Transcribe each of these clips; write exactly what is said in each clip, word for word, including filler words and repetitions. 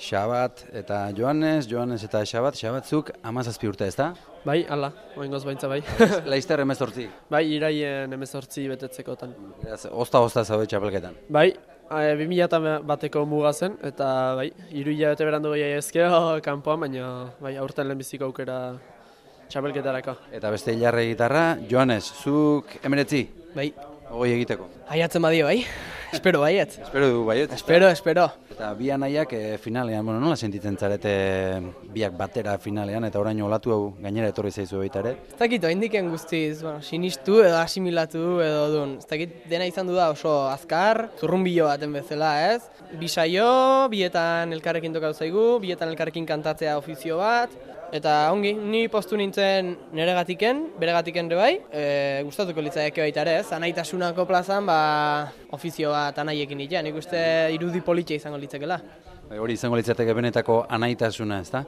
Xabat eta Joanes, Joanes eta Xabat, Xabatzuk hamazazpi urte, ezta? Bai, ala, oingoz baintza bai. Laizter hemezortzi. Bai, iraien hemezortzi betetzekotan. Beraz, Ozta-ozta zaude txapelketan. Bai, bi mila bateko muga zen, eta bai, hiru hilabete berandu gehiago ezkeo kanpoan, baina bai, aurten lehenbiziko aukera txapelketarako. Eta beste hilarre gitarra, Joanes, zuk emeretzi? Bai. Ogoi egiteko. Aiatzen badio, bai? Espero baiet. Espero du baiet. Espero, espero. Eta bi anaiak e, finalean, bueno, nola sentitzen zarete biak batera finalean, eta orain olatu hau gainera etorri zaizu baita ere? Ez dakit, oindiken guztiz, bueno, sinistu edo asimilatu edo duen. Ez dakit, dena izan du da oso azkar, zurrunbilo baten bezala, ez? Bi saio, bietan elkarrekin tokatu zaigu, bietan elkarrekin kantatzea ofizio bat, eta ongi, ni postu nintzen neregatiken, beregatiken ere bai, e, gustatuko litzaieke baita ere, ez? Anaitasunako plazan, ba, ofizio bat anaiekin ditea, nik uste irudi politia izango litzakela. Bai, hori izango litzateke benetako anaitasuna, ezta?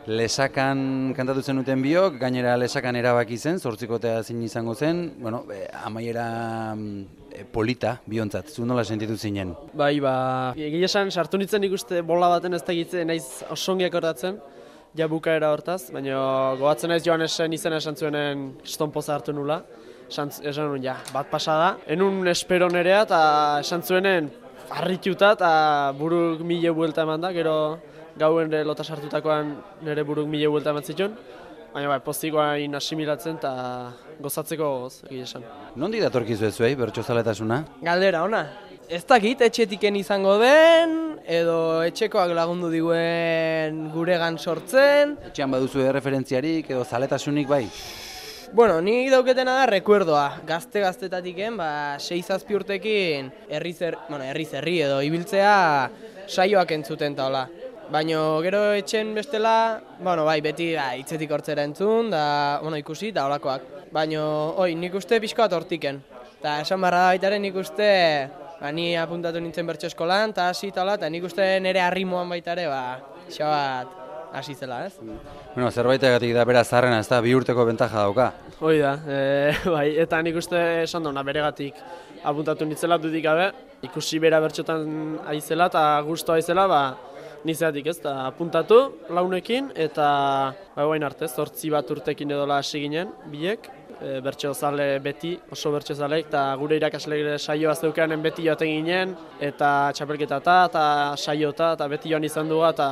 Lesakan kantatu zenuten biok, gainera lesakan erabaki zen, zortzikotea zin izango zen, bueno, e, amaiera e, polita biontzat, zu nola sentitu zinen? Bai, ba, egia esan sartu nintzen ikuste bola baten ez dakitzen naiz osongi akordatzen, ja bukaera hortaz, baina gogatzen naiz Joanesen izena esan zuenen estonpoza hartu nula. Esan, esan nuen, ja, bat pasada. Enun espero nerea eta esan zuenen harrituta eta buruk mile buelta eman da, gero gauen lota sartutakoan nire buruk mile buelta eman zituen. Baina bai, postikoain asimilatzen eta gozatzeko goz, egia esan. Nondi datorkizu ez zuei, bertsozaletasuna? Galdera, ona. Ez dakit, etxetiken izango den, edo etxekoak lagundu diguen guregan sortzen. Etxean baduzu referentziarik edo zaletasunik bai? Bueno, nik dauketena da rekuerdoa. Gazte-gaztetatiken, ba, sei zazpi urtekin herriz herri, bueno, herriz herri edo ibiltzea saioak entzuten ta hola. Baina gero etxen bestela, bueno, bai, beti ba, hitzetik hortzera entzun, da, bueno, ikusi, da holakoak. Baina, oi, nik uste pixka bat hortiken. Eta esan barra da baitaren nik uste, ba, ni apuntatu nintzen bertso eskolan, eta hasi eta hola, eta nik uste nire arrimoan baitare, ba, xabat hasi zela, ez? Bueno, zerbaitegatik da bera zaharrena, ez da, bi urteko bentaja dauka. Hoi da, e, bai, eta nik uste esan duna beregatik apuntatu nintzela dudik gabe, ikusi bera bertxotan aizela eta gustoa aizela, ba, nizeatik ez, eta apuntatu launekin, eta ba, guain arte, zortzi bat urtekin edola hasi ginen, biek, e, bertsozale beti, oso bertsozaleik, eta gure irakasle saioa zeukanen beti joaten ginen, eta txapelketata, eta saiota, eta beti joan izan duga, eta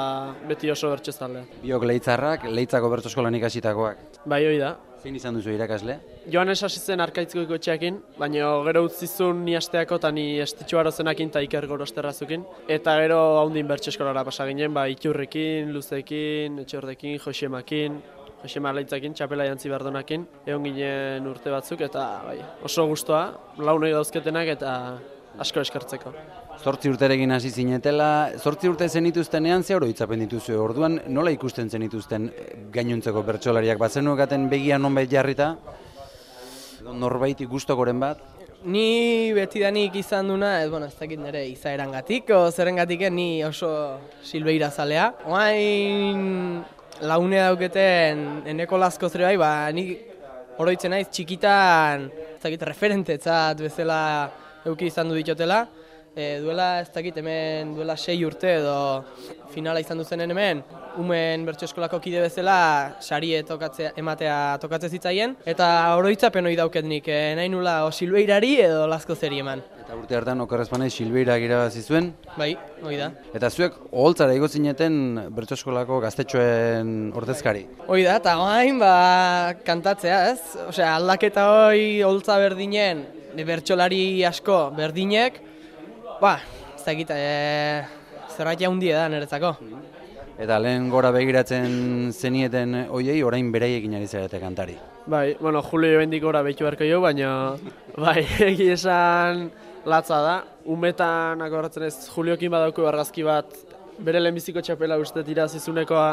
beti oso bertsozale. Biok leitzarrak, leitzako bertsoskolan ikasitakoak. Bai, hoi da. Zein izan duzu irakasle? Joanes hasi zen Arkaitzko etxeakin, baina gero utzizun ni asteako eta ni estitxuaro zenakin eta Iker Gorosterrazukin. Eta gero haundin bertso eskolara pasa ginen, ba, Iturrekin, Luzekin, Etxordekin, Josemakin, Josema Leitzakin, Txapela Jantzi Bardonakin, egon ginen urte batzuk, eta bai, oso gustoa, launoi dauzketenak eta asko eskertzeko. Zortzi urterekin hasi zinetela, zortzi urte zenituztenean ze oroitzapen dituzu, orduan nola ikusten zenituzten gainontzeko bertsolariak, bazenuekaten begian nonbait jarrita, norbaiti gustokoren bat? Ni betidanik izan duna, ez, bueno, ez dakit nire izaerangatik, o zerrengatik ni oso Silbeira zalea. Oain laune dauketen eneko lasko zere bai, ba, ni oroitzen naiz txikitan, ez dakit, referentetzat bezala euki izan du ditotela. E, duela, ez dakit, hemen duela sei urte edo finala izan duzenen hemen, umen bertso eskolako kide bezala sarie tokatzea, ematea tokatzen zitzaien, eta oroitzapen hori dauket nik, e, nahi nula o Silbeirari edo Lasko zeri eman. Eta urte hartan okerrezpanez Silbeirak irabazi zuen? Bai, hori da. Eta zuek oholtzara igo zineten bertso eskolako gaztetxoen ordezkari? Hori da, eta gain, ba, kantatzea, ez? Osea, aldaketa hori oholtza berdinen, bertsolari asko berdinek, ba, ez dakit, e, zerbait jaundie da niretzako. Eta lehen gora begiratzen zenieten hoiei orain beraiekin ari zarete kantari. Bai, bueno, Julio bendik gora behitu beharko jo, baina bai, egi esan latza da. Umetan akorratzen ez Juliokin badauko argazki bat, bere lehenbiziko txapela uste tira zizunekoa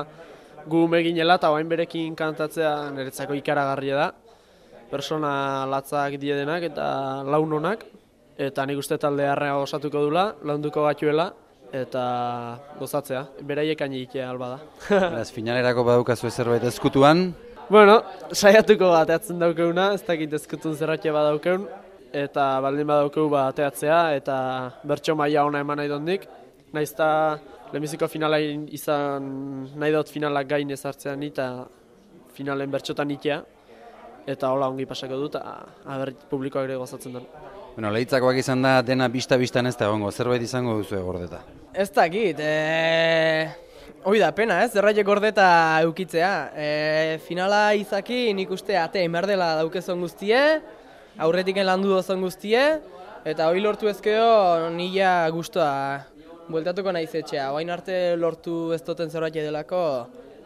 gu umeginela, eta bain berekin kantatzea niretzako ikaragarria da. Persona latzak diedenak eta launonak. Eta nik uste talde harra osatuko dula, launduko batuela, eta gozatzea, beraiek egitea alba da. Beraz, finalerako badaukazu zerbait ezkutuan? Bueno, saiatuko bateatzen daukeuna, ez dakit ezkutun zerratia badaukeun, eta baldin badaukeu bateatzea, eta bertso maila ona eman nahi dondik, Naiz eta lehenbiziko finala izan nahi dut finalak gain ezartzean eta finalen bertxotan itea. Eta hola ongi pasako dut, aber publikoak ere gozatzen duen. Bueno, lehitzakoak izan da dena bista-bistan ez da egongo, zerbait izango duzu Gordeta? Ez dakit, e... hoi da pena ez, zerraiek Gordeta eukitzea. E, finala izaki nik uste ate emerdela daukezon guztie, aurretiken landu dozon guztie, eta hoi lortu ezkeo nila guztua bueltatuko naiz etxea. Oain arte lortu ez duten zerbait delako,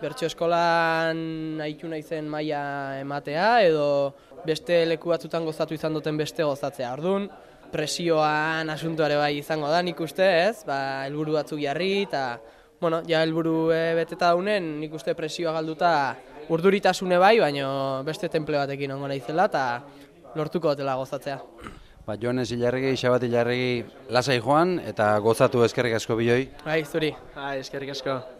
bertso eskolan aitu naizen maila ematea edo beste leku batzutan gozatu izan duten beste gozatzea. Orduan, presioan asuntoare bai izango da nik uste ez, ba, helburu batzuk jarri eta bueno, ja helburu e, beteta daunen nik uste presioa galduta urduritasune bai, baina beste temple batekin ongo naizela eta lortuko dutela gozatzea. Ba, Jones Ilarregi, Xabat Ilarregi lasai joan eta gozatu eskerrik asko bioi. Bai, zuri. Bai, eskerrik asko.